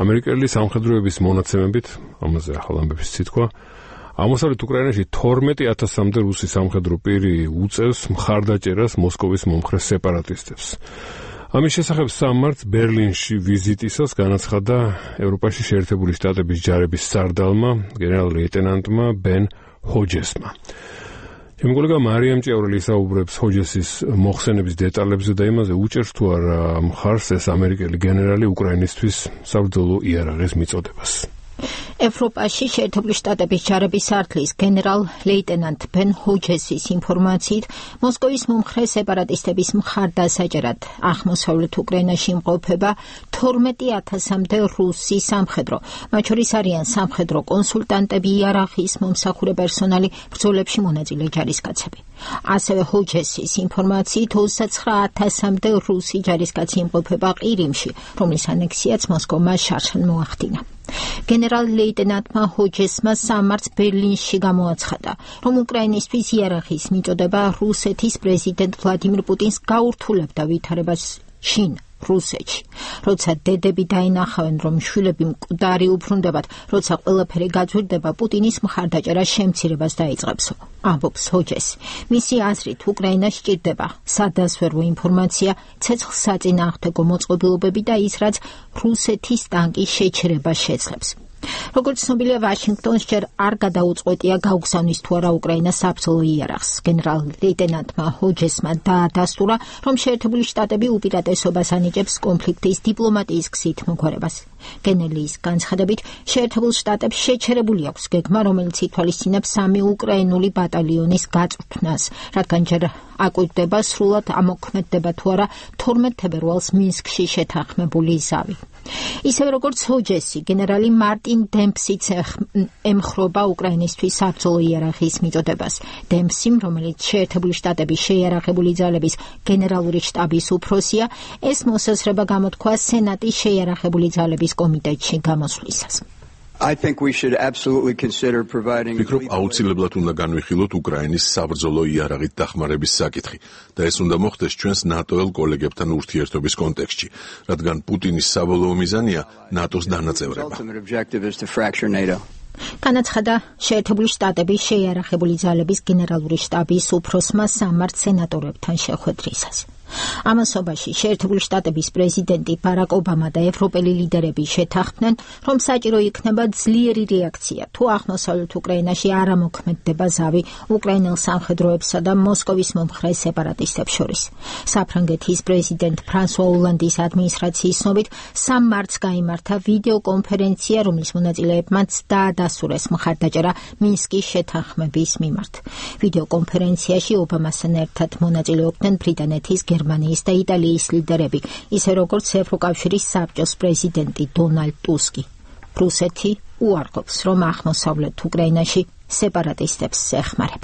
ამერიკელი სამხედროების მონაცემებით, ამაზე ახალ ამბების სიტყვა, აღმოსავლეთ უკრაინაში 12,000-მდე რუსი სამხედრო პირი უწევს მხარდაჭერას მოსკოვის მომხრე სეპარატისტებს. ამის შესახებ 3 მარტს ბერლინში ვიზიტისას განაცხადა ევროპაში შეერთებული შტატების ჯარების სარდალმა, გენერალ-ლეიტენანტმა ბენ ჰოჯესმა. ჩემი კოლეგა მარიამ ჭიაურელი საუბრებს ჰოჯესის მოხსენების დეტალებზე და იმაზე უჭერს თუ არა მხარს ეს ამერიკელი გენერალი უკრაინისთვის საბრძოლო იარაღის მიწოდებას. ევროპაში შეერთებული შტატების ჯარების სარდლის გენერალ-ლეიტენანტ ბენ ჰოჯესის ინფორმაციით, მოსკოვის მომხრე სეპარატისტების მხარდასაჭერად აღმოსავლეთ უკრაინაში იმყოფება 12,000-მდე რუსი სამხედრო, მათ შორის არიან სამხედრო კონსულტანტები, იარაღის მომსახურე პერსონალი, ბრძოლებში მონაწილე ჯარისკაცები. ასევე ჰოჯესის ინფორმაციით 29,000-მდე რუსი ჯარისკაცი იმყოფება ყირიმში, რომლის ანექსიაც მოსკოვმა შარშან მოახდინა. გენერალ-ლეიტენანტმა ჰოჯესმა 3 მარტს ბერლინში გამოაცხადა, რომ უკრაინისთვის იარაღის მიწოდება რუსეთის პრეზიდენტ ვლადიმირ პუტინს გაურთულებდა ვითარებას შინ რუსეთში. როცა დედები დაინახავენ, რომ შვილები მკვდარი უბრუნდებათ, როცა ყველაფერი გაძვირდება, პუტინის მხარდაჭერა შემცირებას დაიწყებსო, ამბობს ჰოჯესი. მისი აზრით, უკრაინას სჭირდება სადაზვერვო ინფორმაცია, ცეცხლსაწინააღმდეგო მოწყობილობები და ის, რაც რუსეთის ტანკის შეჩერებას შეძლებს. როგორც ცნობილია, ვაშინგტონს ჯერ არ გადაუწყვეტია გაუგზავნის თუ არა უკრაინას საბრძოლო იარაღს. გენერალ-ლეიტენანტმა ჰოჯესმა დაადასტურა, რომ შეერთებული შტატები უპირატესობას ანიჭებს კონფლიქტის დიპლომატიის გზით მოგვარებას. გენერლის განცხადებით, შეერთებულ შტატებს შეჩერებული აქვს გეგმა, რომელიც ითვალისწინებს 3 უკრაინული ბატალიონის გაწვრთნას, რადგან ჯერ აკვირდება სრულად ამოქმედდება თუ არა 12 თებერვალს მინსკში შეთანხმებული ზავი. ისევე როგორც ჰოჯესი, გენერალი მარტინ დემპსიც ემხრობა უკრაინისთვის საბრძოლო იარაღის მიწოდებას. დემპსიმ, რომელიც შეერთებული შტატების შეიარაღებული ძალების გენერალური შტაბის უფროსია, ეს მოსაზრება გამოთქვა სენატის შეიარაღებული ძალების კომიტეტში გამოსვლისას. ვფიქრობ, აუცილებლად უნდა განვიხილოთ უკრაინის საბრძოლო იარაღით დახმარების საკითხი და ეს უნდა მოხდეს ჩვენს ნატოელ კოლეგებთან ურთიერთობის კონტექსტში, რადგან პუტინის საბოლოო მიზანია ნატოს დანაწევრება. განაცხადა შეერთებული შტატების შეიარაღებული ძალების გენერალური შტაბის უფროსმა 3 მარტს სენატორებთან შეხვედრისას. ამასობაში შეერთებული შტატების პრეზიდენტი ბარაკ ობამა და ევროპელი ლიდერები შეთანხმდნენ, რომ საჭირო იქნება ძლიერი რეაქცია, თუ აღმოსავლეთ უკრაინაში არ ამოქმედდება ზავი უკრაინელ სამხედროებსა და მოსკოვის მომხრე სეპარატისტებს შორის. საფრანგეთის პრეზიდენტ ფრანსუა ოლანდის ადმინისტრაციის ცნობით 3 მარტს გაიმართა ვიდეო კონფერენცია, რომლის მონაწილეებმაც დაადასტურეს მხარდაჭერა მინსკის შეთანხმების მიმართ. ვიდეო კონფერენციაში ობამასთან ერთად მონაწილეობდნენ ბრიტანეთის, გერმანიის და იტალიის ლიდერები, ისე როგორც ევროკავშირის საბჭოს პრეზიდენტი დონალდ ტუსკი. რუსეთი უარყოფს, რომ აღმოსავლეთ უკრაინაში სეპარატისტებს ეხმარება.